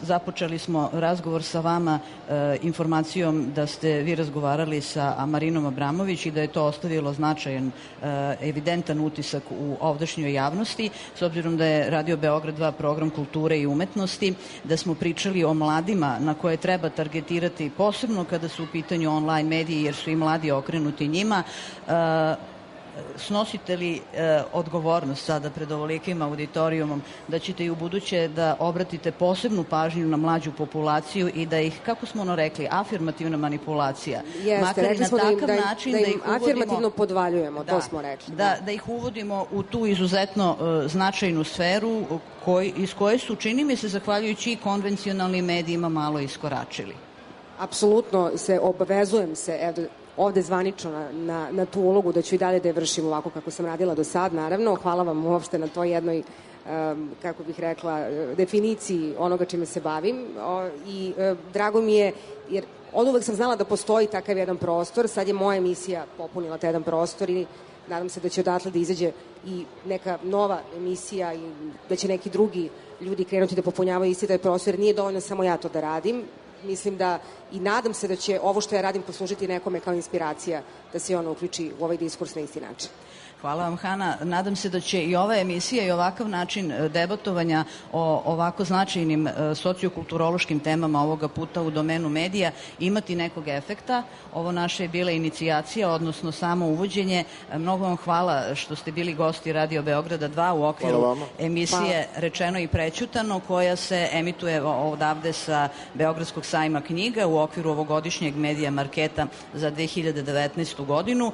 započeli smo razgovor sa vama uh, informacijom da ste vi razgovarali sa Marinom Abramović i da je to ostavilo značajan, uh, evidentan utisak u ovdašnjoj javnosti, s obzirom da je Radio Beograd dva program kulture i umetnosti, da smo pričali o mladima na koje treba targetirati, posebno kada su u pitanju online mediji, jer su i mladi okrenuti njima. Uh, snosite li e, odgovornost sada pred ovolikim auditorijumom da ćete i u buduće da obratite posebnu pažnju na mlađu populaciju i da ih, kako smo ono rekli, afirmativna manipulacija, Jeste, makar i na da takav da im, način da, da, im ih uvodimo, afirmativno podvaljujemo, da, to smo rekli. Da, da, da ih uvodimo u tu izuzetno e, značajnu sferu koj, iz koje su, čini mi se, zahvaljujući i konvencionalnim medijima malo iskoračili. Apsolutno se obavezujem se, evo, ovde zvanično na, na, na tu ulogu da ću i dalje da je vršim ovako kako sam radila do sad, naravno. Hvala vam uopšte na toj jednoj, um, kako bih rekla, definiciji onoga čime se bavim. O, I um, drago mi je, jer od uvek sam znala da postoji takav jedan prostor, sad je moja emisija popunila taj jedan prostor i nadam se da će odatle da izađe i neka nova emisija i da će neki drugi ljudi krenuti da popunjavaju isti taj prostor, jer nije dovoljno samo ja to da radim. Mislim da i nadam se da će ovo što ja radim poslužiti nekome kao inspiracija da se ono uključi u ovaj diskurs na isti način. Hvala vam, Hana. Nadam se da će i ova emisija i ovakav način debatovanja o ovako značajnim sociokulturološkim temama ovoga puta u domenu medija imati nekog efekta. Ovo naše je bila inicijacija, odnosno samo uvođenje. Mnogo vam hvala što ste bili gosti Radio Beograda dva u okviru emisije hvala. Rečeno i prećutano, koja se emituje odavde sa Beogradskog sajma knjiga u okviru ovogodišnjeg medija marketa za dve hiljade devetnaestu godinu.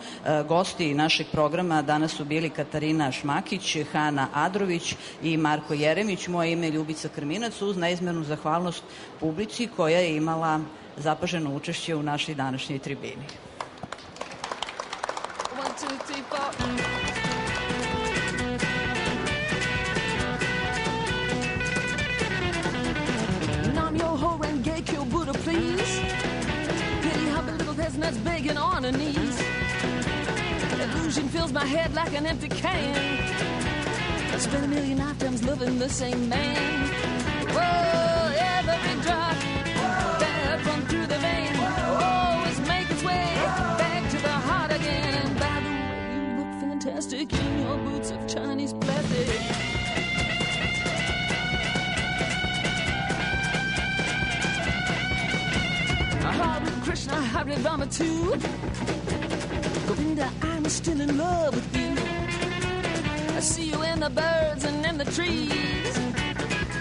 Gosti našeg programa danas su bili Katarina Šmakić, Hana Adrović i Marko Jeremić. Moje ime je Ljubica Krminac, uz neizmernu zahvalnost publici koja je imala zapaženo učešće u našoj današnjoj tribini. One, two, three, four. I'm your whore and gay kill Buddha, please. Pity how the little peasant's begging on her knees. Illusion fills my head like an empty can. I spent a million lifetimes loving the same man. Whoa, every drop that runs through the vein always make its way back to the heart again. And by the way, you look fantastic in your boots of Chinese plastic. Hare Krishna, Hare Rama too. Govinda, I'm still in love with you. I see you in the birds and in the trees.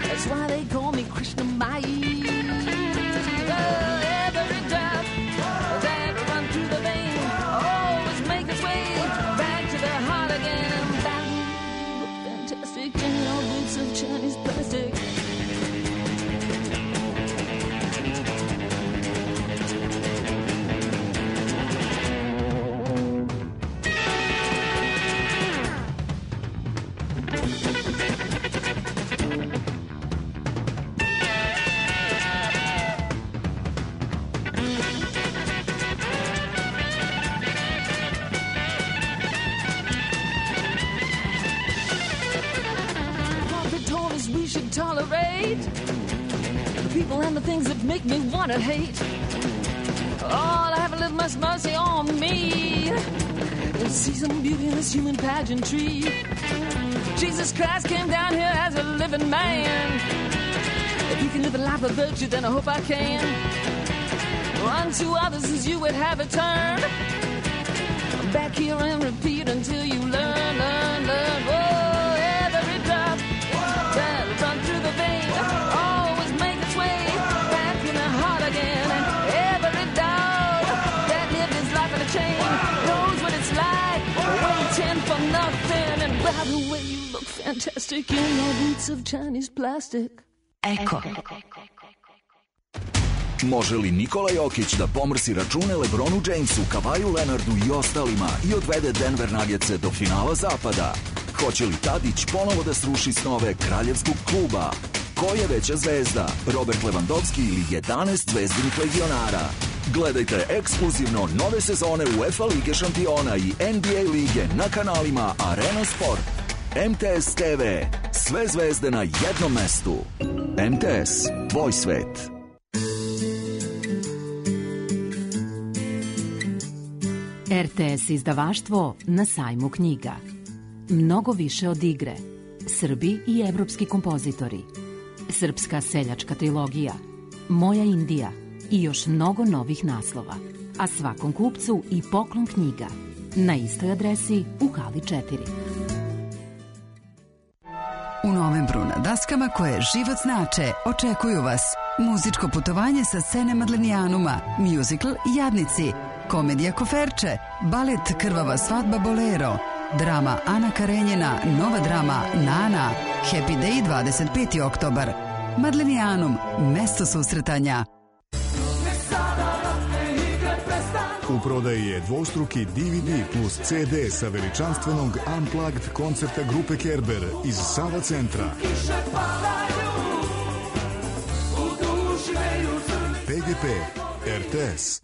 That's why they call me Krishna Mai. Oh, every drop that run through the vein always make its way back to the heart again. And that look fantastic in your boots of Chinese plastic. Tolerate the people and the things that make me want to hate. Oh, have a little much mercy on me. See some beauty in this human pageantry. Jesus Christ came down here as a living man. If you can live a life of virtue, then I hope I can. Unto others as you would have it turned. Back here and repeat until you learn, learn, learn. Oh, every drop that run through the vein always make its way back in the heart again. And every dog that lived his life in a chain knows what it's like waiting for nothing. And by the way, you look fantastic in your boots of Chinese plastic. Eko. Može li Nikola Jokić da pomrsi račune LeBronu Jamesu, Kavaju Leonardu i ostalima i odvede Denver Nuggetse do finala zapada? Hoće li Tadić ponovo da sruši snove kraljevskog kluba? Ko je veća zvezda, Robert Lewandowski ili jedanaest zvezdinih legionara? Gledajte ekskluzivno nove sezone UEFA Lige šampiona i N B A lige na kanalima Arena Sport. M T S T V. Sve zvezde na jednom mestu. M T S. Tvoj svet. R T S izdavaštvo na sajmu knjiga. Mnogo više od igre. Srbi i evropski kompozitori. Srpska seljačka trilogija. Moja Indija i još mnogo novih naslova. A svakom kupcu i poklon knjiga. Na istoj adresi u hali četiri. U novembru na daskama koje život znače očekuju vas muzičko putovanje sa scene Madlenijanuma, musical Jadnici, komedija Koferče, balet Krvava svadba Bolero, drama Ana Karenjina, nova drama Nana, Happy Day dvadeset peti oktobar. Madlenijanum, mesto susretanja. U prodaji je dvostruki D V D plus C D sa veličanstvenog Unplugged koncerta grupe Kerber iz Sava centra. P G P, R T S.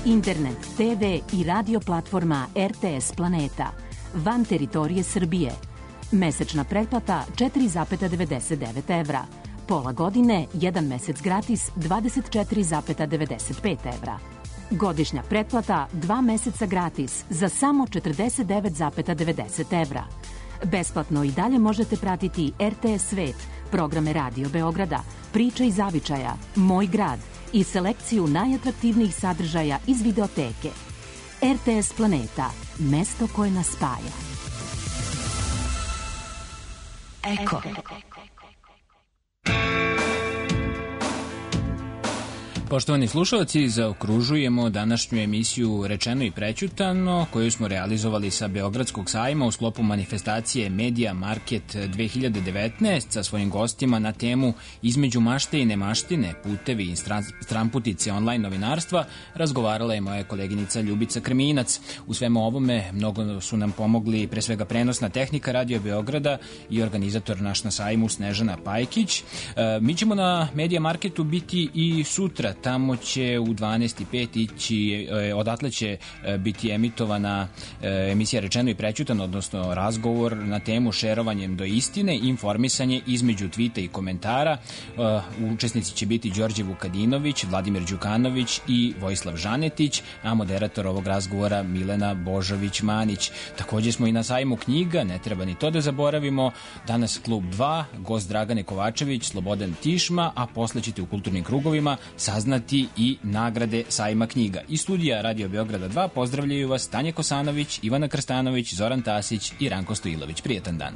Internet, T V i radio platforma R T S Planeta. Van teritorije Srbije. Mesečna pretplata četiri zarez devedeset devet evra. Pola godine, jedan mesec gratis, dvadeset četiri zarez devedeset pet evra. Godišnja pretplata, dva meseca gratis, za samo četrdeset devet zarez devedeset evra. Besplatno i dalje možete pratiti R T S Svet, programe Radio Beograda, Priče iz zavičaja, Moj grad i selekciju najatraktivnijih sadržaja iz videoteke. R T S Planeta, mesto koje nas spaja. Eko. Poštovani slušalci, zaokružujemo današnju emisiju Rečeno i prećutano, koju smo realizovali sa Beogradskog sajma u sklopu manifestacije Media Market dve hiljade devetnaest sa svojim gostima na temu Između mašte i nemaštine, putevi i stranputice online novinarstva. Razgovarala je moja koleginica Ljubica Krminac. U svemu ovome mnogo su nam pomogli pre svega prenosna tehnika Radio Beograda i organizator naš na sajmu Snežana Pajkić. Mi ćemo na Media Marketu biti i sutra. Tamo će u dvanaest i pet ići, odatle će biti emitovana emisija Rečeno i prećutano, odnosno razgovor na temu šerovanjem do istine, informisanje između tvita i komentara. Učesnici će biti Đorđe Vukadinović, Vladimir Đukanović i Vojislav Žanetić, a moderator ovog razgovora Milena Božović-Manić. Takođe smo i na sajmu knjiga, ne treba ni to da zaboravimo. Danas Klub dva, gost Dragane Kovačević, Slobodan Tišma, a posle ćete u kulturnim krugovima saznati i nagrade sajma knjiga. Iz studija Radio Beograda dva pozdravljaju vas Tanja Kosanović, Ivana Krstanović, Zoran Tasić i Ranko Stojilović. Prijetan dan.